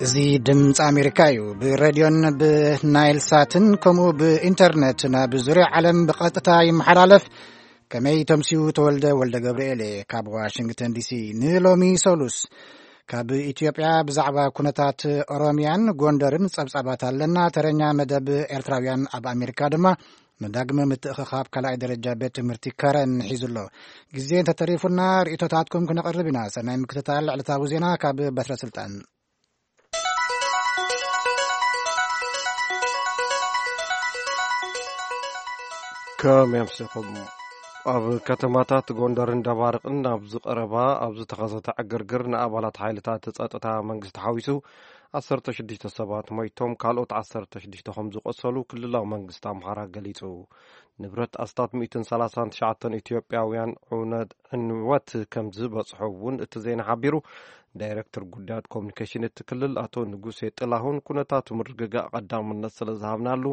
እዚ ድምፂ ኣሜሪካ እዩ። ብሬድዮን ብናይል ሳትን ከምኡ ብኢንተርነት ናብ ዙርያ ዓለም ብቐጥታ ይመሓላለፍ። ከመይ ተምሲኡ? ተወልደ ወልደ ገብርኤል እየ ካብ ዋሽንግተን ዲሲ። ንሎሚ ሰሉስ ካብ ኢትዮጵያ ብዛዕባ ኩነታት ኦሮሚያን ጎንደርን ጸብጻባት ኣለና። ተረኛ መደብ ኤርትራውያን ኣብ ኣሜሪካ ድማ ንዳግመ ምትእኽኻብ ካልኣይ ደረጃ ቤት ትምህርቲ ከረን ሒዙ ኣሎ። ግዜ እንተተሪፉና ርእይቶታትኩም ክነቕርብ ኢና። ሰናይ ምክትታል ዕለታዊ ዜና ካብ በትረ ስልጣን። ከመይ ኣምሲኹም? ኣብ ከተማታት ጎንደርን ደባርቅን ኣብ ዝቐረባ ኣብ ዝተኸሰተ ዕግርግር ንኣባላት ሓይልታት ጸጥታ መንግስቲ ሓዊሱ ዓሰርተ ሽዱሽተ ሰባት ሞይቶም፣ ካልኦት ዓሰርተ ሽዱሽተ ከም ዝቆሰሉ ክልላዊ መንግስቲ ኣምሓራ ገሊጹ። ንብረት ኣስታት ሚእትን ሰላሳን ትሽዓተን ኢትዮጵያውያን ዕውነት ዕንወት ከም ዝበጽሖ እውን እቲ ዜና ሓቢሩ። ዳይሬክተር ጉዳያት ኮሚኒኬሽን እቲ ክልል ኣቶ ንጉሴ ጥላሁን፣ ኩነታቱ ምርግጋእ ቀዳምነት ስለ ዝሃብናሉ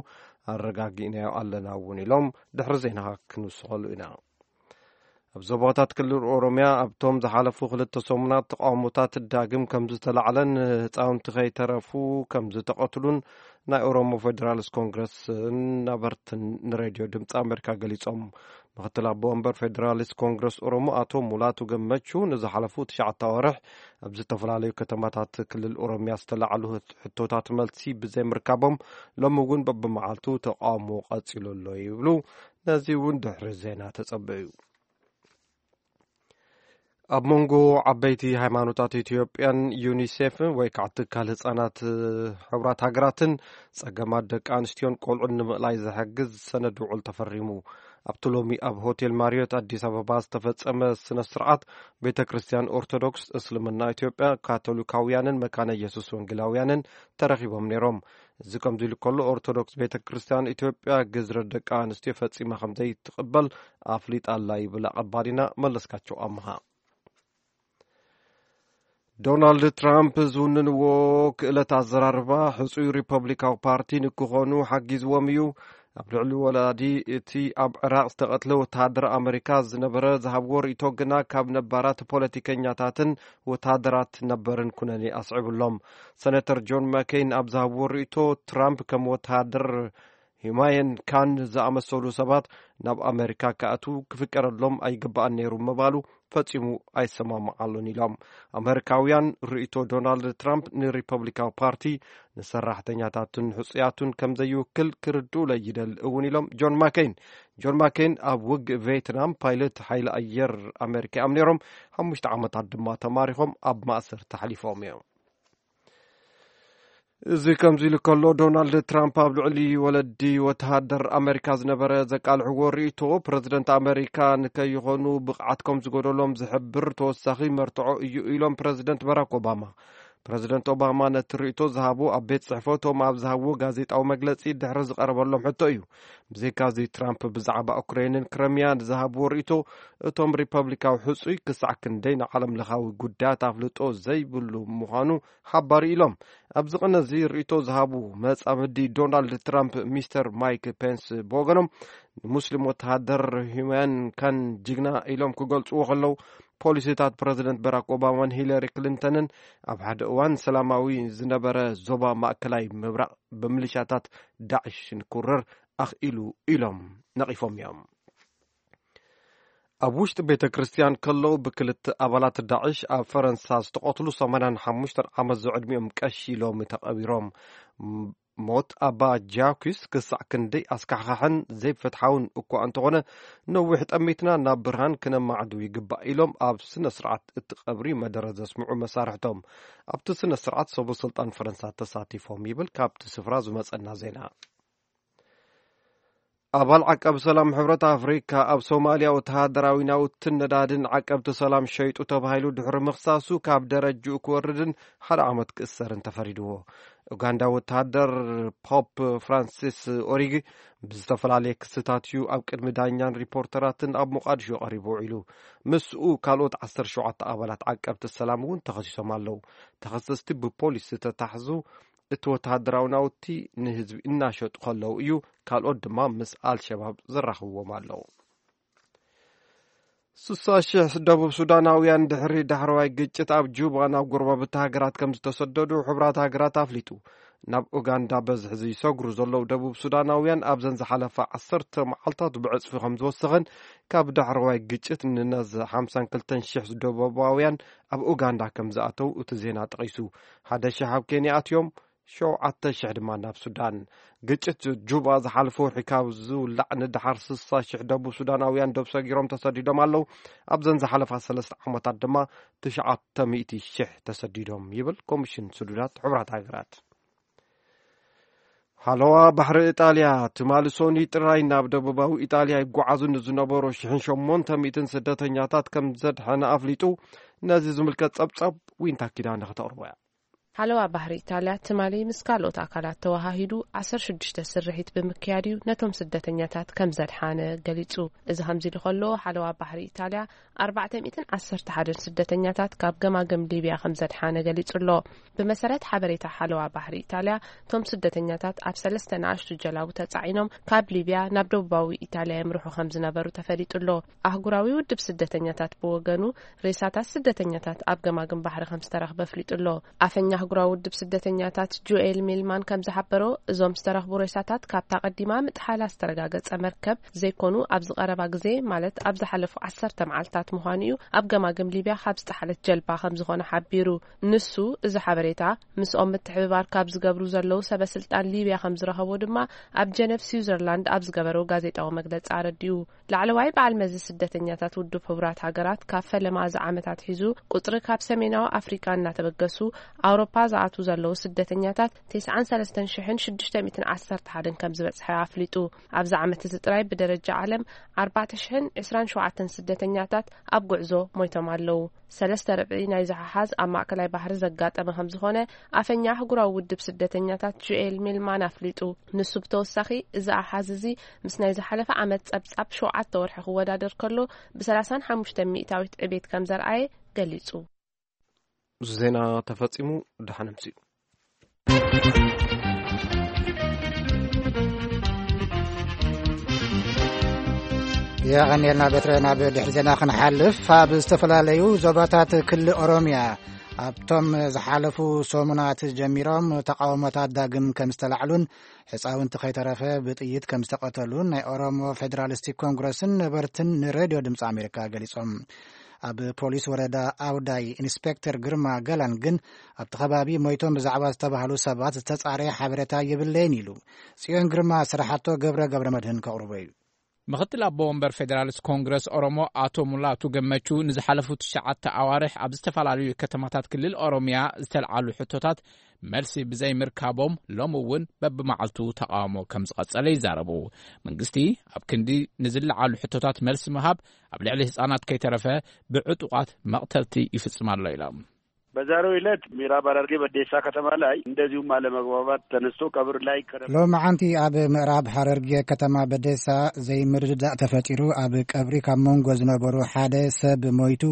ኣረጋጊእናዮ ኣለና እውን ኢሎም። ድሕሪ ዜና ክንውስኸሉ ኢና። ኣብ ዞባታት ክልል ኦሮሚያ ኣብቶም ዝሓለፉ ክልተ ሰሙናት ተቃውሞታት ዳግም ከም ዝተላዕለን ህፃውንቲ ከይተረፉ ከም ዝተቐትሉን ናይ ኦሮሞ ፌዴራሊስት ኮንግረስ ነበርትን ንሬድዮ ድምፂ ኣሜሪካ ገሊፆም። ምክትል ኣቦ ወንበር ፌዴራሊስት ኮንግረስ ኦሮሞ ኣቶ ሙላቱ ገመቹ ንዝሓለፉ ትሽዓተ ኣዋርሕ ኣብ ዝተፈላለዩ ከተማታት ክልል ኦሮሚያ ዝተላዕሉ ሕቶታት መልሲ ብዘይምርካቦም ሎሚ እውን በብመዓልቱ ተቃውሞ ቀፂሉ ኣሎ ይብሉ። ነዚ እውን ድሕሪ ዜና ተጸበዩ። ኣብ መንጎ ዓበይቲ ሃይማኖታት ኢትዮጵያን ዩኒሴፍ ወይ ከዓ ትካል ህፃናት ሕቡራት ሃገራትን ጸገማት ደቂ ኣንስትዮን ቆልዑን ንምእላይ ዝሕግዝ ሰነድ ውዕል ተፈሪሙ። ኣብቲ ሎሚ ኣብ ሆቴል ማሪዮት ኣዲስ ኣበባ ዝተፈጸመ ስነ ስርዓት ቤተ ክርስቲያን ኦርቶዶክስ፣ እስልምና ኢትዮጵያ፣ ካቶሊካውያንን መካነ ኢየሱስ ወንጌላውያንን ተረኺቦም ነይሮም። እዚ ከምዚ ኢሉ ከሎ ኦርቶዶክስ ቤተ ክርስቲያን ኢትዮጵያ ግዝረት ደቂ ኣንስትዮ ፈጺማ ከም ዘይትቕበል ኣፍሊጣ ኣላ ይብል ኣቐባሊና መለስካቸው ኣምሃ። ዶናልድ ትራምፕ ዝውንንዎ ክእለት ኣዘራርባ ሕጹይ ሪፐብሊካዊ ፓርቲ ንክኾኑ ሓጊዝዎም እዩ። ኣብ ልዕሊ ወላዲ እቲ ኣብ ዕራቕ ዝተቐትለ ወተሃደር ኣመሪካ ዝነበረ ዝሃብዎ ርእይቶ ግና ካብ ነባራት ፖለቲከኛታትን ወተሃደራት ነበርን ኩነኔ ኣስዒቡሎም። ሰነተር ጆን ማኬን ኣብ ዝሃብዎ ርእይቶ ትራምፕ ከም ወተሃደር ሂማየን ካን ዝኣመሰሉ ሰባት ናብ ኣመሪካ ክኣትዉ ክፍቀደሎም ኣይግባኣን ነይሩ ምባሉ ፈጺሙ ኣይሰማማዓሉን ኢሎም። ኣመሪካውያን ርእይቶ ዶናልድ ትራምፕ ንሪፐብሊካዊ ፓርቲ ንሰራሕተኛታቱን ሕጹያቱን ከም ዘይውክል ክርድኡለይ ይደሊ እውን ኢሎም ጆን ማኬን። ጆን ማኬን ኣብ ውግእ ቬትናም ፓይለት ሓይሊ ኣየር ኣመሪካ እዮም ነይሮም። ሓሙሽተ ዓመታት ድማ ተማሪኾም ኣብ ማእሰርቲ ኣሕሊፎም እዮም። እዚ ከምዚ ኢሉ ከሎ ዶናልድ ትራምፕ ኣብ ልዕሊ ወለዲ ወተሃደር ኣመሪካ ዝነበረ ዘቃልሕዎ ርእይቶ ፕረዚደንት ኣመሪካ ንከይኾኑ ብቕዓት ከም ዝጎደሎም ዝሕብር ተወሳኺ መርትዖ እዩ ኢሎም ፕረዚደንት ባራክ ኦባማ። ፕረዚደንት ኦባማ ነቲ ርእይቶ ዝሃቡ ኣብ ቤት ጽሕፈቶም ኣብ ዝሃብዎ ጋዜጣዊ መግለጺ ድሕሪ ዝቐረበሎም ሕቶ እዩ። ብዘይካዚ ትራምፕ ብዛዕባ ኡክሬንን ክረምያን ዝሃብዎ ርእይቶ እቶም ሪፐብሊካዊ ሕጹይ ክሳዕ ክንደይ ንዓለም ለኻዊ ጉዳያት ኣፍልጦ ዘይብሉ ምዃኑ ሓባሪ ኢሎም። ኣብዚ ቅነ እዚ ርእይቶ ዝሃቡ መጻምዲ ዶናልድ ትራምፕ ሚስተር ማይክ ፔንስ ብወገኖም ንሙስሊም ወተሃደር ሂማን ካን ጅግና ኢሎም ክገልጽዎ ከለዉ ፖሊሲታት ፕረዚደንት በራክ ኦባማን ሂለሪ ክሊንተንን ኣብ ሓደ እዋን ሰላማዊ ዝነበረ ዞባ ማእከላይ ምብራቕ ብምልሻታት ዳዕሽ ንክውረር ኣኽኢሉ ኢሎም ነቒፎም እዮም። ኣብ ውሽጢ ቤተ ክርስቲያን ከለዉ ብክልተ ኣባላት ዳዕሽ ኣብ ፈረንሳ ዝተቐትሉ ሰማንያን ሓሙሽተን ዓመት ዝዕድሚኦም ቀሺ ሎሚ ተቐቢሮም። ሞት ኣባ ጃኩስ ክሳዕ ክንደይ ኣስካሕካሕን ዘይፍትሓውን እኳ እንተኾነ፣ ነዊሕ ጠሚትና ናብ ብርሃን ክነማዕዱ ይግባእ ኢሎም ኣብ ስነ ስርዓት እቲ ቀብሪ መደረ ዘስምዑ መሳርሕቶም ኣብቲ ስነ ስርዓት ሰበ ስልጣን ፈረንሳ ተሳቲፎም ይብል ካብቲ ስፍራ ዝመጸና ዜና። ኣባል ዓቃቢ ሰላም ሕብረት ኣፍሪካ ኣብ ሶማልያ ወተሃደራዊ ናውትን ነዳድን ዓቀብቲ ሰላም ሸይጡ ተባሂሉ ድሕሪ ምኽሳሱ ካብ ደረጅኡ ክወርድን ሓደ ዓመት ክእሰርን ተፈሪድዎ። ኡጋንዳ ወተሃደር ፖፕ ፍራንሲስ ኦሪጊ ብዝተፈላለየ ክስታት እዩ ኣብ ቅድሚ ዳኛን ሪፖርተራትን ኣብ ሞቃዲሾ ቀሪቡ ውዒሉ። ምስኡ ካልኦት ዓሰርተ ሸውዓተ ኣባላት ዓቀብቲ ሰላም እውን ተኸሲሶም ኣለዉ። ተኸሰስቲ ብፖሊስ ዝተታሕዙ እቲ ወተሃደራዊ ናውቲ ንህዝቢ እናሸጡ ከለዉ እዩ፣ ካልኦት ድማ ምስ ኣልሸባብ ዘራኽብዎም ኣለዉ። ስሳ ሽሕ ደቡብ ሱዳናውያን ድሕሪ ዳሕረዋይ ግጭት ኣብ ጁባ ናብ ጎረባብቲ ሃገራት ከም ዝተሰደዱ ሕቡራት ሃገራት ኣፍሊጡ። ናብ ኡጋንዳ በዝሒ ዝሰግሩ ዘለዉ ደቡብ ሱዳናውያን ኣብዘን ዝሓለፋ ዓሰርተ መዓልታት ብዕጽፊ ከም ዝወሰኸን ካብ ዳሕረዋይ ግጭት ንነዝ ሓምሳን ክልተን ሽሕ ደቡባውያን ኣብ ኡጋንዳ ከም ዝኣተው እቲ ዜና ጠቒሱ። ሓደ ሽሕ ኣብ ኬንያ ኣትዮም፣ ሸውዓተ ሽሕ ድማ ናብ ሱዳን። ግጭት ጁባ ዝሓለፈ ወርሒ ካብ ዝውላዕ ንደሓር ስሳ ሽሕ ደቡብ ሱዳናውያን ዶብ ሰጊሮም ተሰዲዶም ኣለዉ። ኣብዘን ዝሓለፋ ሰለስተ ዓመታት ድማ ትሽዓተ ሚእቲ ሽሕ ተሰዲዶም ይብል ኮሚሽን ስዱዳት ሕቡራት ሃገራት። ሓለዋ ባሕሪ ኢጣልያ ትማሊ ሶኒ ጥራይ ናብ ደቡባዊ ኢጣልያ ይጓዓዙ ንዝነበሩ ሽሕን ሸሞንተ ሚእትን ስደተኛታት ከም ዘድሐነ ኣፍሊጡ። ነዚ ዝምልከት ጸብጻብ ዊንታ ኪዳነ ከተቕርቦ እያ። ሓለዋ ባሕሪ ኢጣልያ ትማሊ ምስ ካልኦት ኣካላት ተወሃሂዱ ዓሰርተ ሽዱሽተ ስርሒት ብምክያድ እዩ ነቶም ስደተኛታት ከም ዘድሓነ ገሊጹ። እዚ ከምዚ ኢሉ ከሎ፣ ሓለዋ ባሕሪ ኢጣልያ ኣርባዕተ ሚእትን ዓሰርተ ሓደን ስደተኛታት ካብ ገማግም ሊብያ ከም ዘድሓነ ገሊጹ ኣሎ። ብመሰረት ሓበሬታ ሓለዋ ባሕሪ ኢጣልያ፣ እቶም ስደተኛታት ኣብ ሰለስተ ንኣሽቱ ጀላቡ ተጻዒኖም ካብ ሊብያ ናብ ደቡባዊ ኢጣልያ የምርሑ ከም ዝነበሩ ተፈሊጡ ኣሎ። ኣህጉራዊ ውድብ ስደተኛታት ብወገኑ፣ ሬሳታት ስደተኛታት ኣብ ገማግም ባሕሪ ከም ዝተረኽበ ኣፍሊጡ ኣሎ። ኣፈኛ ኣህጉራዊ ውድብ ስደተኛታት ጆኤል ሚልማን ከም ዝሓበሮ፣ እዞም ዝተረኽቡ ሬሳታት ካብታ ቀዲማ ምጥሓላ ዝተረጋገጸ መርከብ ዘይኮኑ፣ ኣብዚ ቀረባ ግዜ፣ ማለት ኣብ ዝሓለፉ ዓሰርተ መዓልታት ምዃኑ እዩ፣ ኣብ ገማግም ሊብያ ካብ ዝጠሓለት ጀልባ ከም ዝኾነ ሓቢሩ። ንሱ፣ እዚ ሓበሬታ ምስኦም ምትሕብባር ካብ ዝገብሩ ዘለዉ ሰበ ስልጣን ሊብያ ከም ዝረኸቦ ድማ ኣብ ጀነቭ ስዊዘርላንድ ኣብ ዝገበሮ ጋዜጣዊ መግለጺ ኣረዲኡ። ላዕለዋይ በዓል መዚ ስደተኛታት ውድብ ሕቡራት ሃገራት፣ ካብ ፈለማ እዚ ዓመት ኣትሒዙ ቁጽሪ ካብ ሰሜናዊ ኣፍሪቃ እናተበገሱ ኣውሮፓ ዝኣትዉ ዘለዉ ስደተኛታት ተስዓን ሰለስተን ሽሕን ሽዱሽተ ሚእትን ዓሰርተ ሓደን ከም ዝበጽሐ ኣፍሊጡ። ኣብዚ ዓመት እዚ ጥራይ ብደረጃ ዓለም ኣርባዕተ ሽሕን ዕስራን ሸውዓተን ስደተኛታት ኣብ ጉዕዞ ሞይቶም ኣለዉ። ሰለስተ ርብዒ ናይዚ ሓሓዝ ኣብ ማእከላይ ባሕሪ ዘጋጠመ ከም ዝኾነ ኣፈኛ ኣህጉራዊ ውድብ ስደተኛታት ጆኤል ሚልማን ኣፍሊጡ። ንሱ ብተወሳኺ፣ እዚ ኣሓዝ እዚ ምስ ናይ ዝሓለፈ ዓመት ጸብጻብ ሸውዓተ ወርሒ ክወዳደር ከሎ፣ ብሰላሳን ሓሙሽተ ሚእታዊት ዕቤት ከም ዘርኣየ ገሊጹ። እዚ ዜና ተፈጺሙ። ደሓን ኣምስዩ። የቐንየልና በትረ። ናብ ድሕሪ ዜና ክንሓልፍ፣ ኣብ ዝተፈላለዩ ዞባታት ክልል ኦሮምያ ኣብቶም ዝሓለፉ ሰሙናት ጀሚሮም ተቃውሞታት ዳግም ከም ዝተላዕሉን ሕፃውንቲ ከይተረፈ ብጥይት ከም ዝተቐተሉን ናይ ኦሮሞ ፌዴራሊስቲክ ኮንግረስን ነበርትን ንሬድዮ ድምፂ ኣሜሪካ ገሊጾም። ኣብ ፖሊስ ወረዳ ኣውዳይ ኢንስፔክተር ግርማ ገላን ግን ኣብቲ ከባቢ ሞይቶም ብዛዕባ ዝተባህሉ ሰባት ዝተጻረየ ሓበሬታ የብለይን ኢሉ። ጽዮን ግርማ ስራሓቶ ገብረ ገብረ መድህን ከቕርቦ እዩ። ምኽትል ኣቦ ወንበር ፌዴራሊስት ኮንግረስ ኦሮሞ ኣቶ ሙላቱ ገመቹ ንዝሓለፉ ትሽዓተ ኣዋርሕ ኣብ ዝተፈላለዩ ከተማታት ክልል ኦሮምያ ዝተልዓሉ ሕቶታት መልሲ ብዘይምርካቦም ሎሚ እውን በብመዓልቱ ተቃውሞ ከም ዝቐጸለ ይዛረቡ። መንግስቲ ኣብ ክንዲ ንዝለዓሉ ሕቶታት መልሲ ምሃብ ኣብ ልዕሊ ህጻናት ከይተረፈ ብዕጡቓት መቕተልቲ ይፍጽም ኣሎ ኢሎም። በዛሬው ዕለት ምዕራብ ሐረርጌ በዴሳ ከተማ ላይ እንደዚሁም አለመግባባት ተነስቶ ቀብር ላይ ከረ- ሎማዓንቲ ኣብ ምዕራብ ሐረርጌ ከተማ በዴሳ ዘይምርድዳእ ተፈጢሩ ኣብ ቀብሪ ካብ መንጎ ዝነበሩ ሓደ ሰብ ሞይቱ፣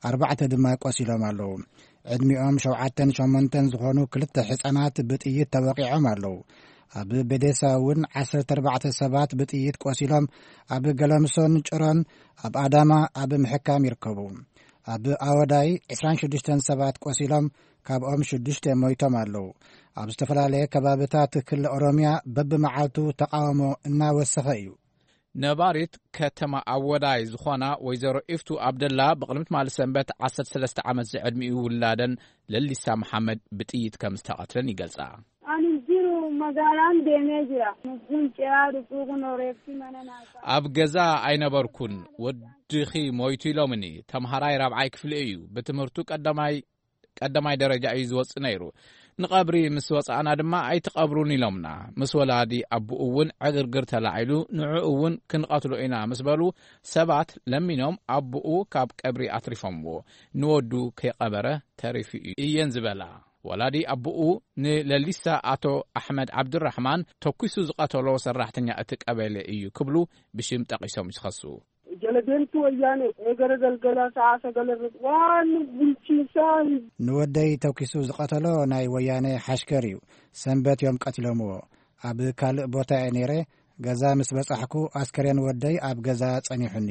ኣርባዕተ ድማ ቆሲሎም ኣለዉ። ዕድሚኦም ሸውዓተን ሸሞንተን ዝኾኑ ክልተ ሕፃናት ብጥይት ተወቂዖም ኣለዉ። ኣብ በዴሳ እውን ዓሰርተ ኣርባዕተ ሰባት ብጥይት ቆሲሎም ኣብ ገለምሶን ጭሮን ኣብ ኣዳማ ኣብ ምሕካም ይርከቡ። ኣብ ኣወዳይ ዕስራን ሽዱሽተን ሰባት ቆሲሎም፣ ካብኦም ሽዱሽተ ሞይቶም ኣለዉ። ኣብ ዝተፈላለየ ከባብታት ክልል ኦሮምያ በብመዓልቱ ተቃውሞ እናወሰኸ እዩ። ነባሪት ከተማ ኣወዳይ ዝኾና ወይዘሮ ኢፍቱ ኣብደላ ብቕድሚ ትማሊ ሰንበት ዓሰርተ ሰለስተ ዓመት ዝዕድሚኡ ውላደን ለሊሳ መሓመድ ብጥይት ከም ዝተቐትለን ይገልጻ። Ani jiru magaalaan deemee jira. Lubbuun ce'aa dhufuu kun reeffi mana naa ka'a. ኣብ ገዛ ኣይነበርኩን፣ ወድኺ ሞይቱ ኢሎምኒ። ተምሃራይ ራብዓይ ክፍሊ እዩ። ብትምህርቱ ቀዳማይ ቀዳማይ ደረጃ እዩ ዝወጽእ ነይሩ። ንቐብሪ ምስ ወጻእና ድማ ኣይትቐብሩን ኢሎምና። ምስ ወላዲ ኣቦኡ እውን ዕግርግር ተላዒሉ፣ ንዕኡ እውን ክንቐትሎ ኢና ምስ በሉ፣ ሰባት ለሚኖም ኣቦኡ ካብ ቀብሪ ኣትሪፎምዎ። ንወዱ ከይቐበረ ተሪፉ እዩ እየን ዝበላ። ወላዲ ኣቦኡ ንለሊሳ ኣቶ ኣሕመድ ዓብዱራሕማን ተኲሱ ዝቐተሎ ሰራሕተኛ እቲ ቀበሌ እዩ ክብሉ ብሽም ጠቒሶም ይኸሱ። Jala deemtuu wayyaanee eegara galgala sa'a sagal irratti waan bulchiinsaa hin ንወደይ ተኪሱ ዝቐተሎ ናይ ወያነ ሓሽከር እዩ። ሰንበት እዮም ቀቲሎምዎ። ኣብ ካልእ ቦታ እየ ነይረ። ገዛ ምስ በጻሕኩ ኣስከሬን ወደይ ኣብ ገዛ ጸኒሑኒ።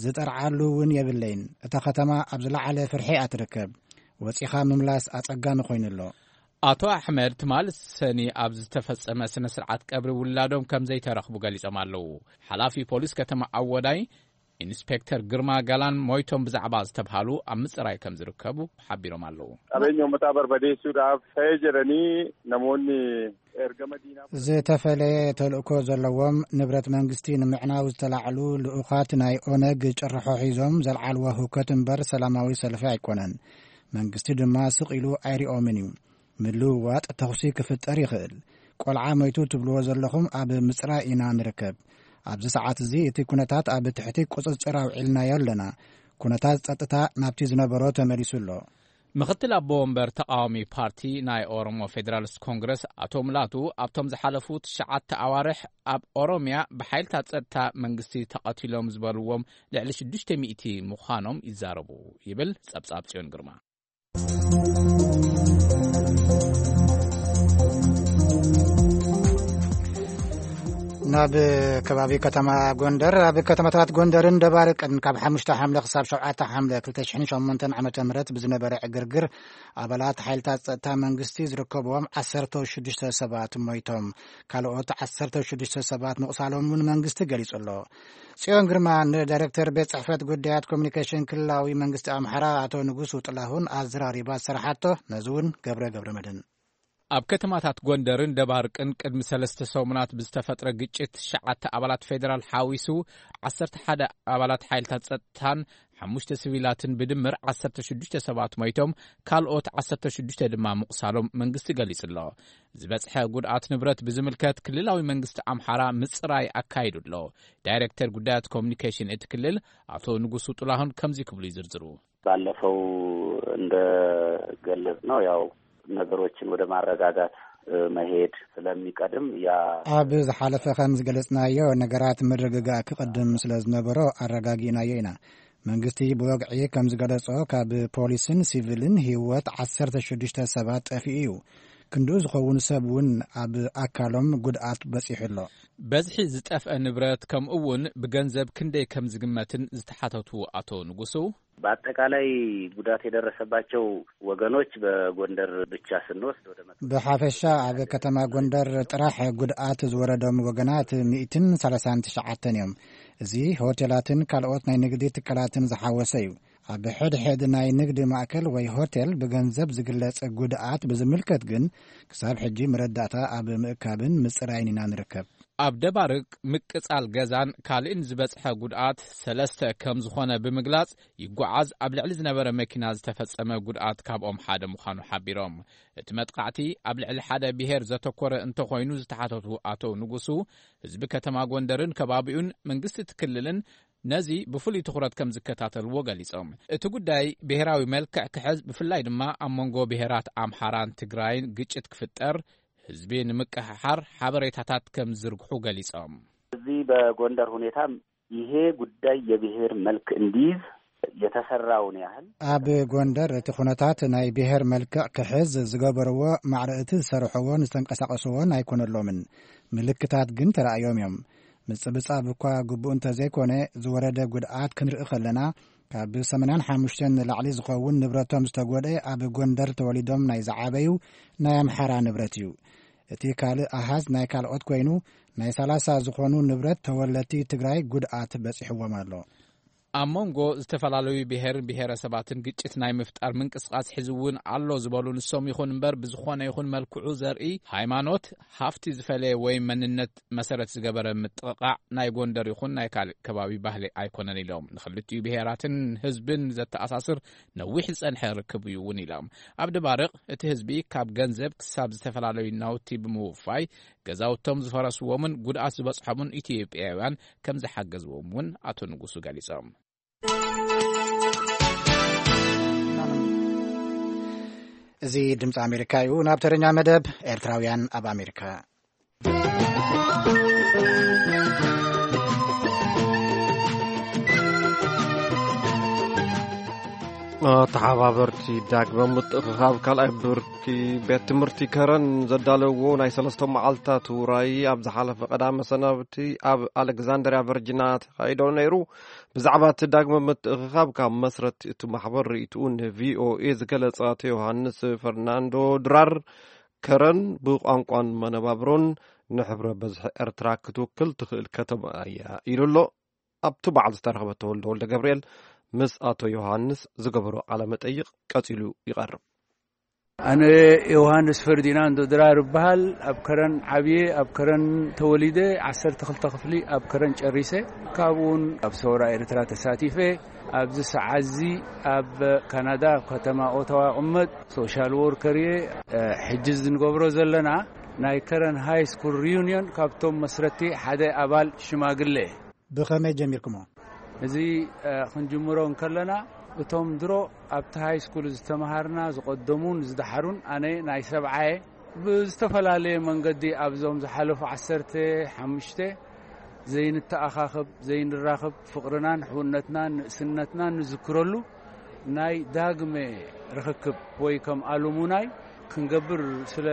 ዝጠርዓሉ እውን የብለይን። እታ ከተማ ኣብ ዝለዓለ ፍርሒ እያ ትርከብ። ወጺኻ ምምላስ ኣጸጋሚ ኮይኑ ኣሎ። ኣቶ ኣሕመድ ትማል ሰኒ ኣብ ዝተፈጸመ ስነ ስርዓት ቀብሪ ውላዶም ከም ዘይተረኽቡ ገሊጾም ኣለዉ። ሓላፊ ፖሊስ ከተማ ኣወዳይ ኢንስፔክተር ግርማ ጋላን ሞይቶም ብዛዕባ ዝተብሃሉ ኣብ ምጽራይ ከም ዝርከቡ ሓቢሮም ኣለዉ። Qabeenya uummataa barbadeessuudhaaf ta'ee jedhanii namoonni ergama diinaa ዝተፈለየ ተልእኮ ዘለዎም፣ ንብረት መንግስቲ ንምዕናው ዝተላዕሉ ልኡኻት ናይ ኦነግ ጭርሖ ሒዞም ዘልዓልዎ ህውከት እምበር ሰላማዊ ሰልፊ ኣይኮነን። መንግስቲ ድማ ስቕ ኢሉ ኣይሪኦምን እዩ። ምልውዋጥ ተኹሲ ክፍጠር ይኽእል። ቆልዓ ሞይቱ ትብልዎ ዘለኹም ኣብ ምጽራይ ኢና ንርከብ። ኣብዚ ሰዓት እዚ እቲ ኩነታት ኣብ ትሕቲ ቁጽጽር ኣውዒልናዮ ኣለና። ኩነታት ጸጥታ ናብቲ ዝነበሮ ተመሊሱ ኣሎ። ምኽትል ኣቦ ወንበር ተቓዋሚ ፓርቲ ናይ ኦሮሞ ፌደራሊስት ኮንግረስ ኣቶ ሙላቱ ኣብቶም ዝሓለፉ ትሽዓተ ኣዋርሕ ኣብ ኦሮምያ ብሓይልታት ጸጥታ መንግስቲ ተቐቲሎም ዝበልዎም ልዕሊ ሽዱሽተ ሚእቲ ምዃኖም ይዛረቡ ይብል ጸብጻብ ጽዮን ግርማ። ናብ ከባቢ ከተማ ጎንደር፣ ኣብ ከተማታት ጎንደርን ደባርቅን ካብ ሓሙሽተ ሓምለ ክሳብ ሸውዓተ ሓምለ ክልተ ሽሕን ሸሞንተን ዓመተ ምህረት ብዝነበረ ዕግርግር ኣባላት ሓይልታት ጸጥታ መንግስቲ ዝርከብዎም ዓሰርተ ሽዱሽተ ሰባት ሞይቶም፣ ካልኦት ዓሰርተ ሽዱሽተ ሰባት ምቑሳሎም እውን መንግስቲ ገሊጹ ኣሎ። ጽዮን ግርማ ንዳይሬክተር ቤት ጽሕፈት ጉዳያት ኮሚኒኬሽን ክልላዊ መንግስቲ ኣምሓራ ኣቶ ንጉሱ ጥላሁን ኣዘራሪባ ዝሰራሓቶ፣ ነዚ እውን ገብረ ገብረ መድህን። ኣብ ከተማታት ጎንደርን ደባርቅን ቅድሚ ሰለስተ ሰሙናት ብዝተፈጥረ ግጭት ትሽዓተ ኣባላት ፌደራል ሓዊሱ ዓሰርተ ሓደ ኣባላት ሓይልታት ጸጥታን ሓሙሽተ ሲቪላትን ብድምር ዓሰርተ ሽዱሽተ ሰባት ሞይቶም፣ ካልኦት ዓሰርተ ሽዱሽተ ድማ ምቑሳሎም መንግስቲ ገሊጹ ኣሎ። ዝበጽሐ ጉድኣት ንብረት ብዝምልከት ክልላዊ መንግስቲ ኣምሓራ ምጽራይ ኣካይዱ ኣሎ። ዳይሬክተር ጉዳያት ኮሚኒኬሽን እቲ ክልል ኣቶ ንጉሱ ጥላሁን ከምዚ ክብሉ ይዝርዝሩ። ባለፈው እንደገለጽ ነው ያው ነገሮችን ወደ ማረጋጋት መሄድ ስለሚቀድም ያ ኣብ ዝሓለፈ ከም ዝገለጽናዮ ነገራት ምርግጋእ ክቕድም ስለ ዝነበሮ ኣረጋጊእናዮ ኢና። መንግስቲ ብወግዒ ከም ዝገለጾ ካብ ፖሊስን ሲቪልን ህይወት ዓሰርተ ሽዱሽተ ሰባት ጠፊኡ እዩ። ክንድኡ ዝኸውን ሰብ እውን ኣብ ኣካሎም ጉድኣት በጺሑ ኣሎ። በዝሒ ዝጠፍአ ንብረት ከምኡ እውን ብገንዘብ ክንደይ ከም ዝግመትን ዝተሓተቱ ኣቶ ንጉሱ፣ በአጠቃላይ ጉዳት የደረሰባቸው ወገኖች በጎንደር ብቻ ስንወስድ ወደ መቶ ብሓፈሻ ኣብ ከተማ ጎንደር ጥራሕ ጉድኣት ዝወረዶም ወገናት ሚእትን ሰላሳን ትሽዓተን እዮም። እዚ ሆቴላትን ካልኦት ናይ ንግዲ ትካላትን ዝሓወሰ እዩ። ኣብ ሕድሕድ ናይ ንግዲ ማእከል ወይ ሆቴል ብገንዘብ ዝግለጽ ጉድኣት ብዝምልከት ግን ክሳብ ሕጂ መረዳእታ ኣብ ምእካብን ምጽራይን ኢና ንርከብ። ኣብ ደባርቅ ምቅጻል ገዛን ካልእን ዝበጽሐ ጉድኣት ሰለስተ ከም ዝኾነ ብምግላጽ፣ ይጓዓዝ ኣብ ልዕሊ ዝነበረ መኪና ዝተፈጸመ ጉድኣት ካብኦም ሓደ ምዃኑ ሓቢሮም። እቲ መጥቃዕቲ ኣብ ልዕሊ ሓደ ብሄር ዘተኮረ እንተኾይኑ ዝተሓተቱ ኣቶ ንጉሱ፣ ህዝቢ ከተማ ጎንደርን ከባቢኡን መንግስቲ እቲ ክልልን ነዚ ብፍሉይ ትኹረት ከም ዝከታተልዎ ገሊጾም። እቲ ጉዳይ ብሄራዊ መልክዕ ክሕዝ፣ ብፍላይ ድማ ኣብ መንጎ ብሄራት ኣምሓራን ትግራይን ግጭት ክፍጠር፣ ህዝቢ ንምቅሕሓር ሓበሬታታት ከም ዝዝርግሑ ገሊጾም። እዚህ በጎንደር ሁኔታ ይሄ ጉዳይ የብሔር መልክ እንዲይዝ የተሰራውን ያህል ኣብ ጎንደር እቲ ኩነታት ናይ ብሔር መልክዕ ክሕዝ ዝገበርዎ ማዕረ እቲ ዝሰርሕዎን ዝተንቀሳቀስዎን ኣይኮነሎምን። ምልክታት ግን ተራእዮም እዮም። ምጽብጻብ እኳ ግቡእ እንተዘይኮነ፣ ዝወረደ ጉድኣት ክንርኢ ከለና፣ ካብ ሰማንያን ሓሙሽተን ንላዕሊ ዝኸውን ንብረቶም ዝተጎድአ ኣብ ጎንደር ተወሊዶም ናይ ዝዓበዩ ናይ ኣምሓራ ንብረት እዩ። እቲ ካልእ ኣሃዝ ናይ ካልኦት ኮይኑ፣ ናይ ሰላሳ ዝኾኑ ንብረት ተወለድቲ ትግራይ ጉድኣት በጺሕዎም ኣሎ። ኣብ መንጎ ዝተፈላለዩ ብሄርን ብሄረሰባትን ግጭት ናይ ምፍጣር ምንቅስቃስ ሕዚ እውን ኣሎ ዝበሉ ንሶም ይኹን እምበር፣ ብዝኾነ ይኹን መልክዑ ዘርኢ፣ ሃይማኖት፣ ሃፍቲ ዝፈለየ ወይ መንነት መሰረት ዝገበረ ምጥቕቓዕ ናይ ጎንደር ይኹን ናይ ካልእ ከባቢ ባህሊ ኣይኮነን ኢሎም። ንክልቲኡ ብሄራትን ህዝብን ዘተኣሳስር ነዊሕ ዝጸንሐ ርክብ እዩ እውን ኢሎም። ኣብ ደባርቕ እቲ ህዝቢ ካብ ገንዘብ ክሳብ ዝተፈላለዩ ናውቲ ብምውፋይ ገዛውቶም ዝፈረስዎምን ጉድኣት ዝበጽሖምን ኢትዮጵያውያን ከም ዝሓገዝዎም እውን ኣቶ ንጉሱ ገሊጾም። እዚ ድምፂ ኣሜሪካ እዩ። ናብ ተረኛ መደብ ኤርትራውያን ኣብ ኣሜሪካ። ተሓባበርቲ ዳግመ ምትእኽኻብ ካልኣይ ብርኪ ቤት ትምህርቲ ከረን ዘዳለዎ ናይ ሰለስተ መዓልታት ውራይ ኣብ ዝሓለፈ ቀዳመ ሰናብቲ ኣብ ኣሌክዛንድርያ ቨርጂና ተኻይዶ ነይሩ። ብዛዕባ እቲ ዳግመ ምትእኽኻብ ካብ መስረቲ እቲ ማሕበር ርእይትኡ ንቪኦኤ ዝገለጸ ኣቶ ዮሃንስ ፈርናንዶ ድራር፣ ከረን ብቋንቋን መነባብሮን ንሕብረ በዝሒ ኤርትራ ክትውክል ትኽእል ከተማ እያ ኢሉ ኣሎ። ኣብቲ በዓል ዝተረኽበ ተወልደ ወልደ ገብርኤል ምስ ኣቶ ዮሃንስ ዝገበሮ ቃለ መጠይቕ ቀጺሉ ይቐርብ። ኣነ ዮሃንስ ፈርዲናንዶ ድራር እበሃል። ኣብ ከረን ዓብየ፣ ኣብ ከረን ተወሊደ፣ ዓሰርተ ክልተ ክፍሊ ኣብ ከረን ጨሪሰ። ካብኡን ኣብ ሰውራ ኤርትራ ተሳቲፈ። ኣብዚ ሰዓት እዚ ኣብ ካናዳ፣ ኣብ ከተማ ኦታዋ እቕመጥ፣ ሶሻል ወርከር እየ። ሕጂ ዝንገብሮ ዘለና ናይ ከረን ሃይ ስኩል ሪዩኒዮን ካብቶም መስረቲ ሓደ ኣባል ሽማግለ። ብኸመይ ጀሚርኩሞ? እዚ፣ እ፣ ክንጅምሮ እንከለና፣ እቶም ድሮ ኣብቲ ሃይ ስኩል ዝተምሃርና፣ ዝቐደሙን ዝደሓሩን፣ ኣነ ናይ ሰብዓየ፣ ብዝተፈላለየ መንገዲ ኣብዞም ዝሓለፉ ዓሰርተ ሓሙሽተ ዘይንተኣኻኸብ፣ ዘይንራኸብ፣ ፍቕርናን ሕውነትናን ንእስነትናን ንዝክረሉ ናይ ዳግመ ርኽክብ ወይ ከም ኣሉሙናይ ክንገብር ስለ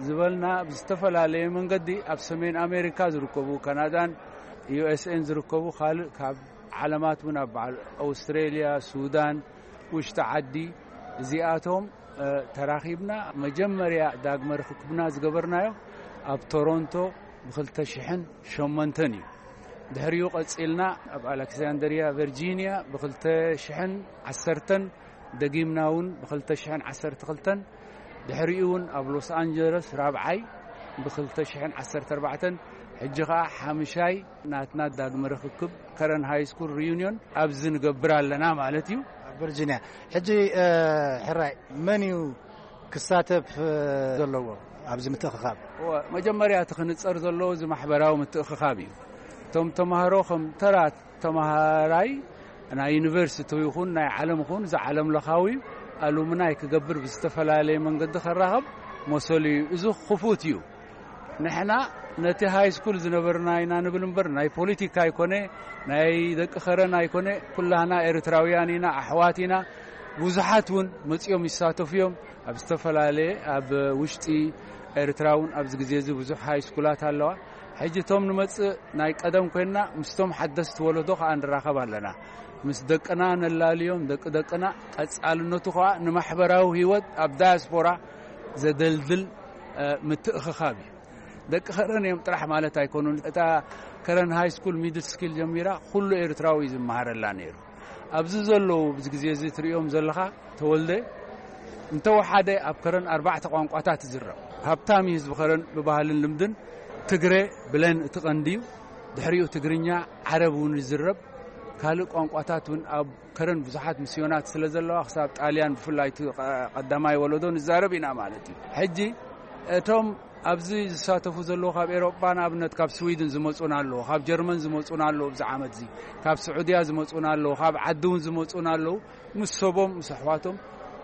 ዝበልና፣ ብዝተፈላለየ መንገዲ ኣብ ሰሜን ኣሜሪካ ዝርከቡ፣ ካናዳን ዩ ኤስ ኤን ዝርከቡ፣ ካልእ ካብ ዓለማት እውን ኣብ በዓል ኣውስትሬልያ፣ ሱዳን፣ ውሽጢ ዓዲ፣ እዚኣቶም፣ እ፣ ተራኺብና። መጀመርያ ዳግመ ርኽክብና ዝገበርናዮ ኣብ ቶሮንቶ ብኽልተ ሽሕን ሸሞንተን እዩ። ድሕሪኡ ቀጺልና ኣብ ኣሌክሳንድርያ ቨርጂንያ ብኽልተ ሽሕን ዓሰርተን፣ ደጊምና እውን ብኽልተ ሽሕን ዓሰርተ ክልተን፣ ድሕሪኡ እውን ኣብ ሎስ ኣንጀለስ ራብዓይ ብኽልተ ሽሕን ዓሰርተ ኣርባዕተን፣ ሕጂ ኸኣ ሓምሻይ ናትና ዳግመ ርኽክብ ከረን ሃይ ስኩል ሪዩኒዮን ኣብዚ ንገብር ኣለና ማለት እዩ። ኣብ ቨርጂንያ። ሕጂ፣ እ፣ ሕራይ መን እዩ ክሳተፍ፣ እ፣ ዘለዎ ኣብዚ ምትእኽኻብ? እወ፣ መጀመርያ እቲ ክንጸር ዘለዎ እዚ ማሕበራዊ ምትእኽኻብ እዩ። እቶም ተማሃሮ ከም ተራ ተማሃራይ ናይ ዩኒቨርሲቲ ይኹን ናይ ዓለም ይኹን እዚ ዓለም ለኻዊ ኣሉምናይ ክገብር ብዝተፈላለየ መንገዲ ከራኸብ መሰሉ እዩ። እዚ ክፉት እዩ። ንሕና ነቲ ሃይ ስኩል ዝነበርና ኢና ንብል እምበር፣ ናይ ፖለቲካ ኣይኮነ፣ ናይ ደቂ ከረን ኣይኮነ፣ ኩላህና ኤርትራውያን ኢና፣ ኣሕዋት ኢና። ብዙሓት እውን መጺኦም ይሳተፉ እዮም። ኣብ ዝተፈላለየ፣ ኣብ ውሽጢ ኤርትራ እውን ኣብዚ ግዜ እዚ ብዙሕ ሃይ ስኩላት ኣለዋ። ሕጂ እቶም ንመጽእ ናይ ቀደም ኮይንና ምስቶም ሓደስቲ ወለዶ ከኣ ንራኸብ ኣለና። ምስ ደቅና ነላልዮም፣ ደቂ ደቅና፣ ቀጻልነቱ ከኣ ንማሕበራዊ ህይወት ኣብ ዳያስፖራ ዘደልድል፣ እ፣ ምትእኽኻብ እዩ። ደቂ ከረን እዮም ጥራሕ ማለት ኣይኮኑን። እታ ከረን ሃይ ስኩል ሚድል ስኪል ጀሚራ ኩሉ ኤርትራዊ እዩ ዝመሃረላ ነይሩ። ኣብዚ ዘለዉ፣ ኣብዚ ግዜ እዚ ትርእዮም ዘለኻ ተወልደ፣ እንተወሓደ ኣብ ከረን ኣርባዕተ ቋንቋታት ይዝረብ። ሃብታም እዩ ህዝቢ ከረን ብባህልን ልምድን። ትግረ ብለን እቲ ቀንዲ እዩ። ድሕሪኡ ትግርኛ፣ ዓረብ እውን ይዝረብ። ካልእ ቋንቋታት እውን ኣብ ከረን ብዙሓት ምስዮናት ስለ ዘለዋ፣ ክሳብ ጣልያን ብፍላይ እቲ ቀ-፣ ቀዳማይ ወለዶ ንዛረብ ኢና ማለት እዩ። ሕጂ እቶም ኣብዚ ዝሳተፉ ዘለዉ ካብ ኤሮጳ፣ ንኣብነት ካብ ስዊድን ዝመጹና ኣለዉ፣ ካብ ጀርመን ዝመጹና ኣለዉ፣ ኣብዚ ዓመት እዚ ካብ ስዑድያ ዝመጹና ኣለዉ፣ ካብ ዓዲ እውን ዝመጹና ኣለዉ። ምስ ሰቦም ምስ ኣሕዋቶም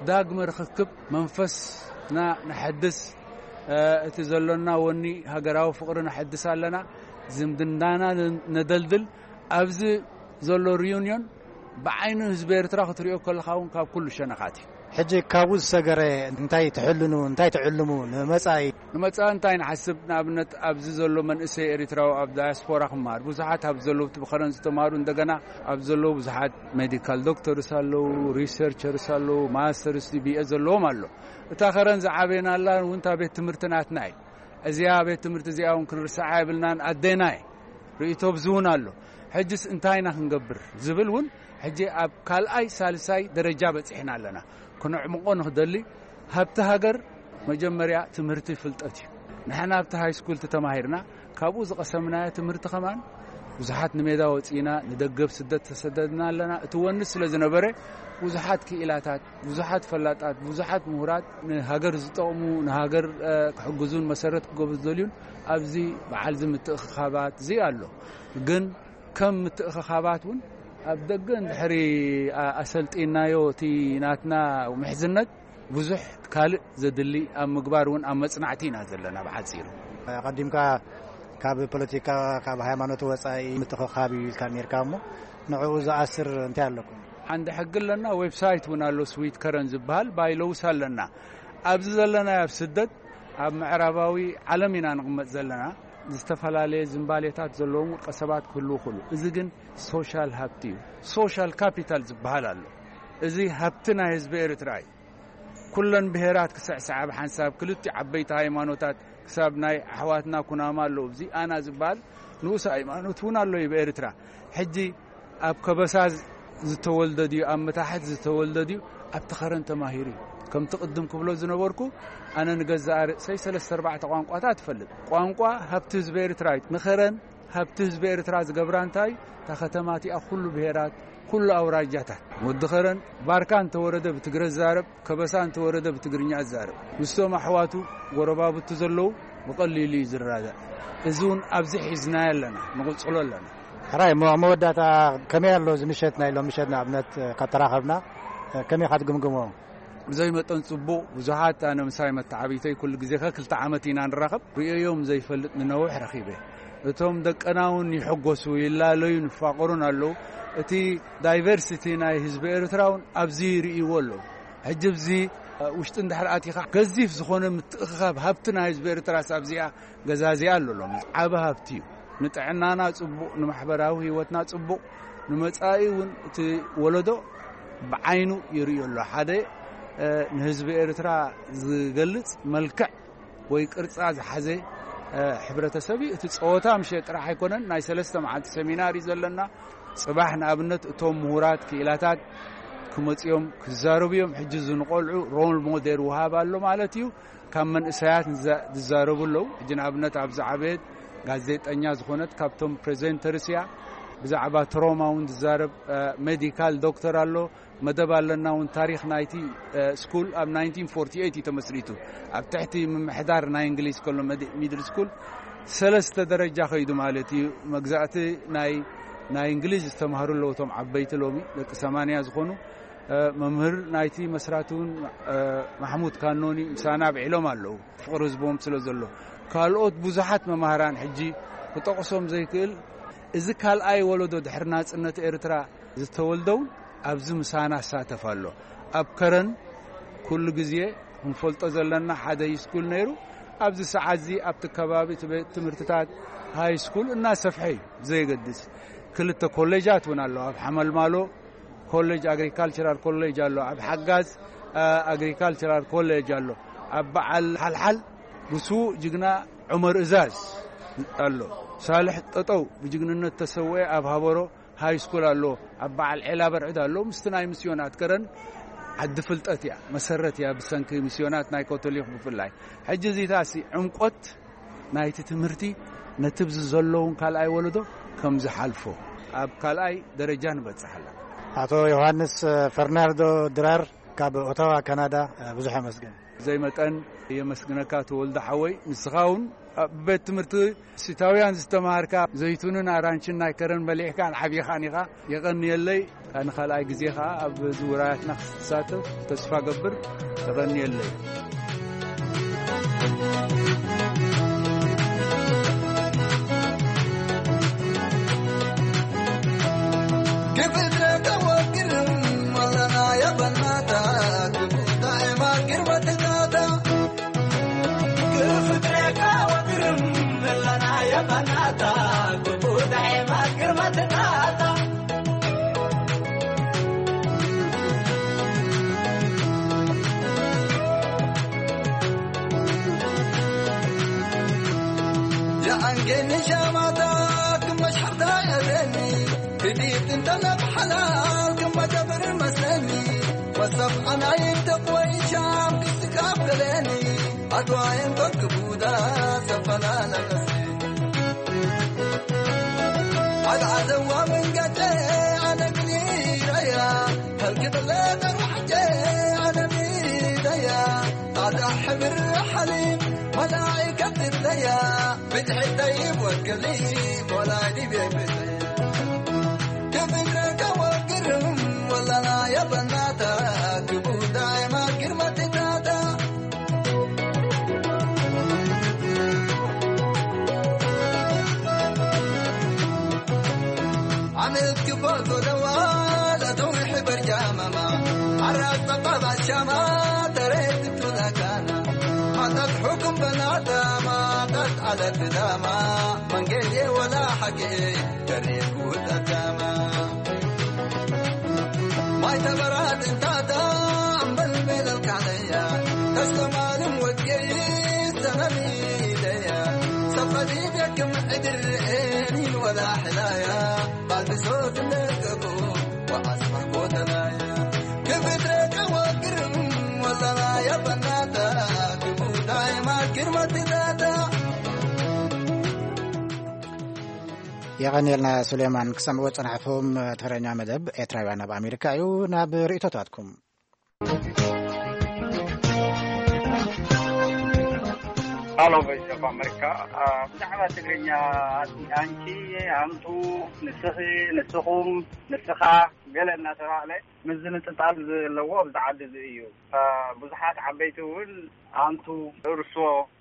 ዳግመ ርኽክብ መንፈስና ነሐድስ፣ እ፣ እቲ ዘሎና ወኒ ሃገራዊ ፍቕሪ ነሐድስ ኣለና፣ ዝምድናና ን-፣ ነደልድል። ኣብዚ ዘሎ ሪዩኒዮን ብዓይኒ ህዝቢ ኤርትራ ክትሪኦ ከለኻ እውን ካብ ኩሉ ሸነኻት እዩ። ሕጂ ካብኡ ዝሰገረ እንታይ ትሕልኑ፣ እንታይ ትዕልሙ ንመጻኢ? ንመጻኢ እንታይ ንሓስብ? ንኣብነት ኣብዚ ዘሎ መንእሰይ ኤርትራዊ ኣብ ዳያስፖራ ክመሃር፣ ብዙሓት ኣብ ዘለዉ እቲ ብኸረን ዝተማሃሩ እንደገና ኣብ ዘለዉ ብዙሓት ሜዲካል ዶክተርስ ኣለዉ፣ ሪሰርቸርስ ኣለዉ፣ ማስተርስ ቢ ኤ ዘለዎም ኣሎ። እታ ከረን ዝዓበየናላ እውን እታ ቤት ትምህርቲ ናትና እዩ። እዚኣ ቤት ትምህርቲ እዚኣ እውን ክንርስዓ የብልናን፣ ኣዴና እዩ። ርእይቶ ብዚ እውን ኣሎ። ሕጅስ እንታይ ኢና ክንገብር ዝብል እውን ሕጂ ኣብ ካልኣይ ሳልሳይ ደረጃ በጺሕና ኣለና። ክነዕምቖ ንኽደሊ፣ ሃብቲ ሃገር መጀመርያ ትምህርቲ ፍልጠት እዩ። ንሕና ኣብቲ ሃይ ስኩል ተማሂርና፣ ካብኡ ዝቐሰምናዮ ትምህርቲ ከማን ብዙሓት ንሜዳ ወጺእና፣ ንደገብ ስደት ተሰደድና ኣለና። እቲ ወኒ ስለ ዝነበረ ብዙሓት ክኢላታት፣ ብዙሓት ፈላጣት፣ ብዙሓት ምሁራት ንሃገር ዝጠቕሙ፣ ንሃገር፣ እ፣ ክሕግዙን መሰረት ክገብሩ ዝደልዩን ኣብዚ በዓል እዚ ምትእኽኻባት እዚ ኣሎ። ግን ከም ምትእኽኻባት እውን ኣብ ደገ እንድሕሪ ኣ-፣ ኣሰልጢናዮ እቲ ናትና ምሕዝነት ብዙሕ ካልእ ዘድሊ ኣብ ምግባር እውን ኣብ መጽናዕቲ ኢና ዘለና ብሓጺሩ። ኣቐዲምካ ካብ ፖለቲካ፣ ካብ ሃይማኖት ወጻኢ ምትእኽኻብ እዩ ኢልካ ነርካ እሞ ንዕኡ ዝኣስር እንታይ ኣለኩም? ዓንዲ ሕጊ ኣለና፣ ዌብሳይት እውን ኣሎ፣ ስዊት ከረን ዝበሃል ባይሎውስ ኣለና። ኣብዚ ዘለና ኣብ ስደት ኣብ ምዕራባዊ ዓለም ኢና ንቕመጥ ዘለና። ዝተፈላለየ ዝንባሌታት ዘለዎም ውልቀ ሰባት ክህልዉ ይኽእሉ። እዚ ግን ሶሻል ሃብቲ እዩ። ሶሻል ካፒታል ዝበሃል ኣሎ። እዚ ሃብቲ ናይ ህዝቢ ኤርትራ እዩ። ኩለን ብሄራት ክስዕስዓ ብሓንሳብ፣ ክልቲኡ ዓበይቲ ሃይማኖታት፣ ክሳብ ናይ ኣሕዋትና ኩናማ ኣለዉ። እዚ ኣና ዝበሃል ንኡስ ሃይማኖት እውን ኣሎ እዩ ብኤርትራ። ሕጂ ኣብ ከበሳ ዝተወልደ ድዩ፣ ኣብ መታሕት ዝተወልደ ድዩ፣ ኣብቲ ኸረን ተማሂሩ እዩ። ከምቲ ቅድም ክብሎ ዝነበርኩ፣ ኣነ ንገዛእ ርእሰይ ሰለስተ ኣርባዕተ ቋንቋታት እፈልጥ። ቋንቋ ሃብቲ ህዝቢ ኤርትራ እዩ። ንኸረን ሃብቲ ህዝቢ ኤርትራ ዝገብራ እንታይ? እታ ከተማ እቲኣ ኩሉ ብሄራት፣ ኩሉ ኣውራጃታት። ወዲ ኸረን ባርካ እንተወረደ ብትግረ ዝዛረብ፣ ከበሳ እንተወረደ ብትግርኛ ዝዛረብ። ምስቶም ኣሕዋቱ ጎረባብቱ ዘለዉ ብቐሊሉ እዩ ዝረዳዳእ። እዚ እውን ኣብዚ ሒዝናዮ ኣለና፣ ንቕጽሎ ኣለና። ሕራይ፣ እሞ ኣብ መወዳእታ ከመይ ኣሎ እዚ ምሸት ናይ ሎም ምሸት ንኣብነት ካብ ተራኸብና ከመይ ኢኻ ትግምግሞ? ብዘይ መጠን ጽቡቕ፣ ብዙሓት ኣነ ምሳይ መተዓቢተይ ኩሉ ግዜ ከ ክልተ ዓመት ኢና ንራኸብ፣ ርእዮም ዘይፈልጥ ንነውሕ ረኺበ። እቶም ደቀና እውን ይሕጎሱ፣ ይላለዩን ይፋቐሩን ኣለዉ። እቲ ዳይቨርሲቲ ናይ ህዝቢ ኤርትራ እውን ኣብዚ ይርእይዎ ኣለዉ። ሕጂ ኣብዚ ውሽጢ እንድሕር ኣቲኻ ገዚፍ ዝኾነ ምትእኽኻብ ሃብቲ ናይ ህዝቢ ኤርትራስ ኣብዚኣ ገዛዚኣ ኣሎ። ሎሚ ዓቢ ሃብቲ እዩ። ንጥዕናና ጽቡቕ፣ ንማሕበራዊ ህይወትና ጽቡቕ፣ ንመጻኢ እውን እቲ ወለዶ ብዓይኑ ይርእዮ ኣሎ። ሓደ፣ እ፣ ንህዝቢ ኤርትራ ዝገልጽ መልክዕ ወይ ቅርጻ ዝሓዘ፣ እ፣ ሕብረተሰብ እዩ። እቲ ጸወታ ምሸት ጥራሕ ኣይኮነን፣ ናይ ሰለስተ መዓልቲ ሰሚናር እዩ ዘለና። ጽባሕ ንኣብነት እቶም ምሁራት ክኢላታት ክመጽኦም ክዛረቡ እዮም። ሕጂ እዚ ንቆልዑ ሮል ሞዴል ውሃብ ኣሎ ማለት እዩ። ካብ መንእሰያት ንዛ-፣ ዝዛረቡ ኣለዉ። ሕጂ ንኣብነት ኣብ ዝዓበየት ጋዜጠኛ ዝኾነት ካብቶም ፕሬዘንተርስ እያ። ብዛዕባ ትሮማ እውን ዝዛረብ፣ እ፣ ሜዲካል ዶክተር ኣሎ። መደብ ኣለና እውን ታሪኽ ናይቲ፣ እ፣ ስኩል ኣብ ናይንቲን ፎርቲ ኤይት እዩ ተመስሪቱ። ኣብ ትሕቲ ምምሕዳር ናይ እንግሊዝ ከሎ መድ-፣ ሚድል ስኩል ሰለስተ ደረጃ ከይዱ ማለት እዩ። መግዛእቲ ናይ፣ ናይ እንግሊዝ ዝተማህሩ ኣለዉ እቶም ዓበይቲ ሎሚ ደቂ ሰማንያ ዝኾኑ። እ፣ መምህር ናይቲ መስራቲ እውን፣ እ፣ ማሕሙድ ካኖኒ ምሳና ኣብዒሎም ኣለዉ። ፍቕሪ ህዝቦም ስለ ዘሎ። ካልኦት ብዙሓት መማህራን ሕጂ ክጠቕሶም ዘይክእል፣ እዚ ካልኣይ ወለዶ ድሕሪ ናጽነት ኤርትራ ዝተወልደውን ኣብዚ ምሳና ይሳተፍ ኣሎ። ኣብ ከረን ኩሉ ግዜ ክንፈልጦ ዘለና ሓደ ሃይስኩል ነይሩ። ኣብዚ ሰዓት እዚ ኣብቲ ከባቢ እቲ ቤት ትምህርትታት ሃይስኩል እናሰፍሐ እዩ፣ ብዘየገድስ። ክልተ ኮሌጃት እውን ኣለዋ። ኣብ ሓመልማሎ ኮሌጅ፣ ኣግሪካልቸራል ኮሌጅ ኣሎ፣ ኣብ ሓጋዝ፣ እ፣ ኣግሪካልቸራል ኮሌጅ ኣሎ፣ ኣብ በዓል ሓልሓል ብስዉእ ጅግና ዑመር እዛዝ ኣሎ፣ ሳልሕ ጠጠው ብጅግንነት ተሰውኤ ኣብ ሃበሮ ሃይ ስኩል ኣሎ፣ ኣብ በዓል ዔላ በርዕድ ኣሎ። ምስቲ ናይ ምስዮናት ከረን ዓዲ ፍልጠት እያ፣ መሰረት እያ፣ ብሰንኪ ምስዮናት ናይ ካቶሊክ ብፍላይ። ሕጂ እዚታሲ ዕምቆት ናይቲ ትምህርቲ ነቲ ብዚ ዘለውን ካልኣይ ወለዶ ከም ዝሓልፎ ኣብ ካልኣይ ደረጃ ንበጽሕ ኣለና። ኣቶ ዮሃንስ ፈርናንዶ ድራር ካብ ኦታዋ ካናዳ፣ ብዙሕ ኣመስግን። ዘይመጠን የመስግነካ ተወልደ ሓወይ። ንስኻ እውን ኣብ ቤት ትምህርቲ ሲታውያን ዝተማሃርካ ዘይቱንን ኣራንችን ናይ ከረን በሊዕካን ዓቢኻን ኢኻ። የቐንየለይ። ንኻልኣይ ግዜ ኸኣ ኣብ ዝውራያትና ክትሳተፍ ተስፋ ገብር። የቐንየለይ። የኣንጌኒ ሻማታ ክመሽ ሓብታ የለኒ፣ ብዲት እንተለብ ሓላል ክመጀብር መስለኒ፣ ወሰብ ኣናይ ተቆይ ሻም ክስካብ ገለኒ፣ ኣድዋየን ኮርክ ቡዳ ሰፈላለ መስለኒ። ኣግዓዘዋ መንገደ ኣነ ግን ይረያ፣ ከልክብለ ተርዋሕጀ ኣነ ሚደያ፣ ኣዳ ሕብር ሓሊም መላእከት ትብለያ፣ ብድሕተይ ወገሊ ወላዲ ቤብሰ። ክብረከ ወግርም ወላላ የበናታ፣ ክቡዳይ ማግር መትታታ። ዓመት ክባል ጎደዋ ለተው ሕበር على الدلامة من قيدي ولا حكي جريك وتسامة. ما يتبرد انت دام بل بيدك عليا. تسلم علم وجهي سنة ليديا. سفدي بك معدر عيني ولا حلايا. بعد صوت النقبو وأسمع قوت لايا. كبدرك وقرم ولا لايا بناتا. كبوتاي ما كرمت ذاتا. የቐንየልና ሱሌማን። ክሰምዕዎ ዝጸናሕኹም ተረኛ መደብ ኤርትራውያን ኣብ ኣሜሪካ እዩ። ናብ ርእይቶታትኩም። ሃሎ፣ ቮይስ ኦፍ ኣሜሪካ። አ፣ ብዛዕባ ትግርኛ፣ ኣንቲ፣ ኣንቲ፣ ኣንቱ፣ ንስኺ፣ ንስኹም፣ ንስኻ፣ ገለ እናተባህለ ምዝንጥጣል ዘለዎ ኣብዚ ዓዲ እዚ እዩ። አ፣ ብዙሓት ዓበይቲ እውን ኣንቱ፣ እርሶ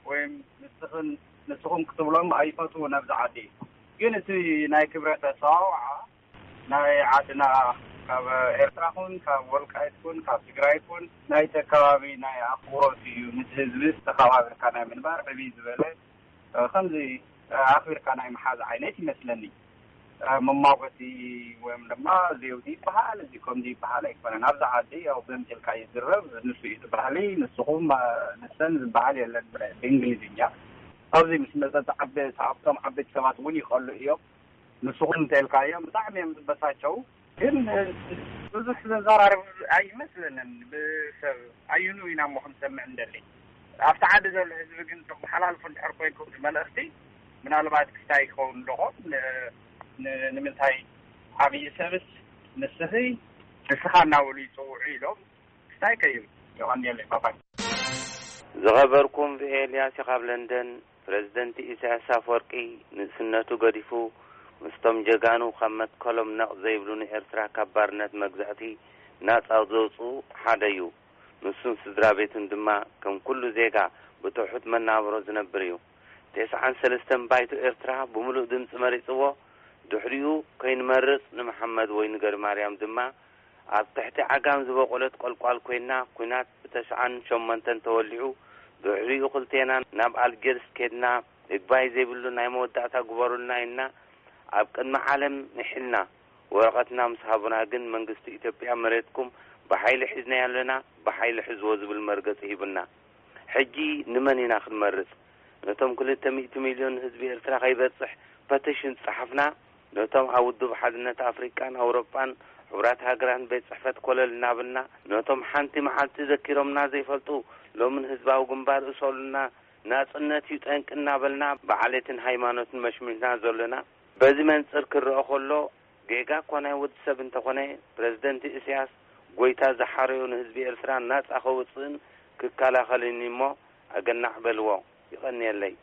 ወይም ንስኽን፣ ንስኹም ክትብሎም ኣይፈትዉን ኣብዚ ዓዲ። ግን እቲ ናይ ክብረት ኣጸዋውዓ ናይ ዓድና፣ ካብ ኤርትራ ኩን፣ ካብ ወልቃይት ኩን፣ ካብ ትግራይ ኩን፣ ናይቲ ኣከባቢ ናይ ኣኽብሮት እዩ። ነቲ ህዝቢ ተኸባቢርካ ናይ ምንባር ዕብይ ዝበለ፣ እ፣ ከምዚ፣ እ፣ ኣኽቢርካ ናይ ምሓዝ ዓይነት ይመስለኒ። እ፣ መማጎሲ ወይም ድማ ዜውዲ ይበሃል፣ እዚ ከምዚ ይበሃል ኣይኮነን። ኣብዚ ዓዲ ያው በምጭልካ ይዝረብ፣ ንሱ እዩ እቲ ባህሊ፣ ንስኹም፣ እ፣ ንሰን ዝበሃል የለን ብ-፣ ብእንግሊዝኛ። ኣብዚ ምስ መጸ ዓበ-፣ ኣብቶም ዓበይቲ ሰባት እውን ይኸሉ እዮም። ንስኹም እንተልካዮም ብጣዕሚ እዮም ዝበሳጨው። ግን ብዙሕ ዘዘራርብ ኣይመስለንን። ብሰብ ኣየኑ ኢና እሞ ክንሰምዕ እንደሊ? ኣብቲ ዓዲ ዘሎ ህዝቢ ግን ተመሓላልፉ እንድሕር ኮይንኩም እቲ መልእኽቲ፣ ምናልባት ክስታይ ክኸውን ኣለዎ። ን-፣ ን-፣ ንምንታይ ዓብዪ ሰብስ ንስኺ ንስኻ እናበሉ ይጽውዑ ኢሎም ክስታይ ከይብል። የቐንየለይ። ባባይ። ዝኸበርኩም ቪኤ ኤልያስ ካብ ለንደን። ፕረዚደንት ኢሳያስ ኣፈወርቂ ንእስነቱ ገዲፉ ምስቶም ጀጋኑ ካብ መትከሎም ነቕ ዘይብሉ ንኤርትራ ካብ ባርነት መግዛእቲ ናጻ ዘውጽኡ ሓደ እዩ። ንሱን ስድራ ቤቱን ድማ ከም ኩሉ ዜጋ ብትሑት መናብሮ ዝነብር እዩ። ተስዓን ሰለስተን ባይቶ ኤርትራ ብምሉእ ድምጺ መሪጽዎ። ድሕሪኡ ከይንመርጽ ንመሓመድ ወይ ንገሪማርያም ድማ ኣብ ትሕቲ ዓጋም ዝበቖለት ቆልቋል ኮይና፣ ኲናት ብተስዓን ሸሞንተን ተወሊዑ። ድሕሪኡ ክልቴና ናብ ኣልጀርስ ኬድና፣ እግባይ ዘይብሉ ናይ መወዳእታ ግበሩልና ኢልና ኣብ ቅድሚ ዓለም ምሒልና። ወረቐትና ምስ ሃቡና ግን መንግስቲ ኢትዮጵያ መሬትኩም ብሓይሊ ሒዝናዮ ኣለና፣ ብሓይሊ ሕዝዎ ዝብል መርገጺ ሂቡና። ሕጂ ንመን ኢና ክንመርጽ? ነቶም ክልተ ሚእቲ ሚልዮን ህዝቢ ኤርትራ ከይበጽሕ ፐቲሽን ጸሓፍና፣ ነቶም ኣብ ውድብ ሓድነት ኣፍሪቃን ኣውሮጳን ሕቡራት ሃገራትን ቤት ጽሕፈት ኮለል እናበልና፣ ነቶም ሓንቲ መዓልቲ ዘኪሮምና ዘይፈልጡ ሎምን ህዝባዊ ግንባር እሰሉና፣ ናጽነት እዩ ጠንቂ እናበልና ብዓሌትን ሃይማኖትን መሽሚና ዘለና። በዚ መንጽር ክረአ ከሎ፣ ጌጋ እኳ ናይ ወዲ ሰብ እንተኾነ፣ ፕረዚደንት ኢሳያስ ጎይታ ዝሓረዮ ንህዝቢ ኤርትራ ናጻ ከውጽእን ክከላኸልን እሞ ኣገናዕ በልዎ። ይቐንየለይ።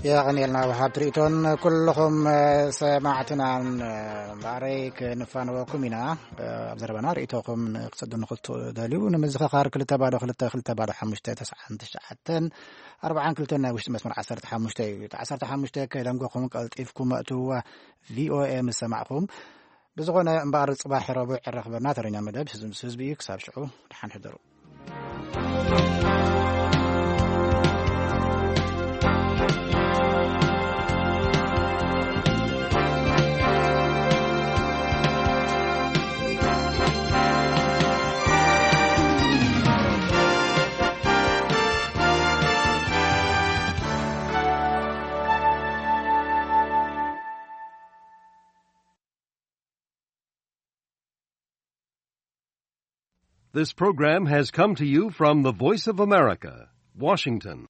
የቐንየልና ወሃብ ትርኢቶን ኩልኹም፣ እ፣ ሰማዕትናን፣ እ፣ እምበኣረይ ክንፋነወኩም ኢና። እ፣ ኣብ ዘረባና ርእይቶኹም ክትሰዱ ንኽትደልዩ ንምዝኽኻር ክልተ ባዶ ክልተ ክልተ ባዶ ሓሙሽተ ተስዓን ትሽዓተን ኣርባዓን ክልተን ናይ ውሽጢ መስመር ዓሰርተ ሓሙሽተ እዩ። እቲ ዓሰርተ ሓሙሽተ ከይደንጎኹም ቀልጢፍኩም እትውዋ ቪኦኤ ምስ ሰማዕኹም። ብዝኾነ እምበኣር ጽባሕ ረቡዕ ዕራኽበና ተረኛ መደብ ህዝቢ ምስ ህዝቢ እዩ። ክሳብ ሽዑ ደሓን ሕደሩ። This program has come to you from the Voice of America, Washington.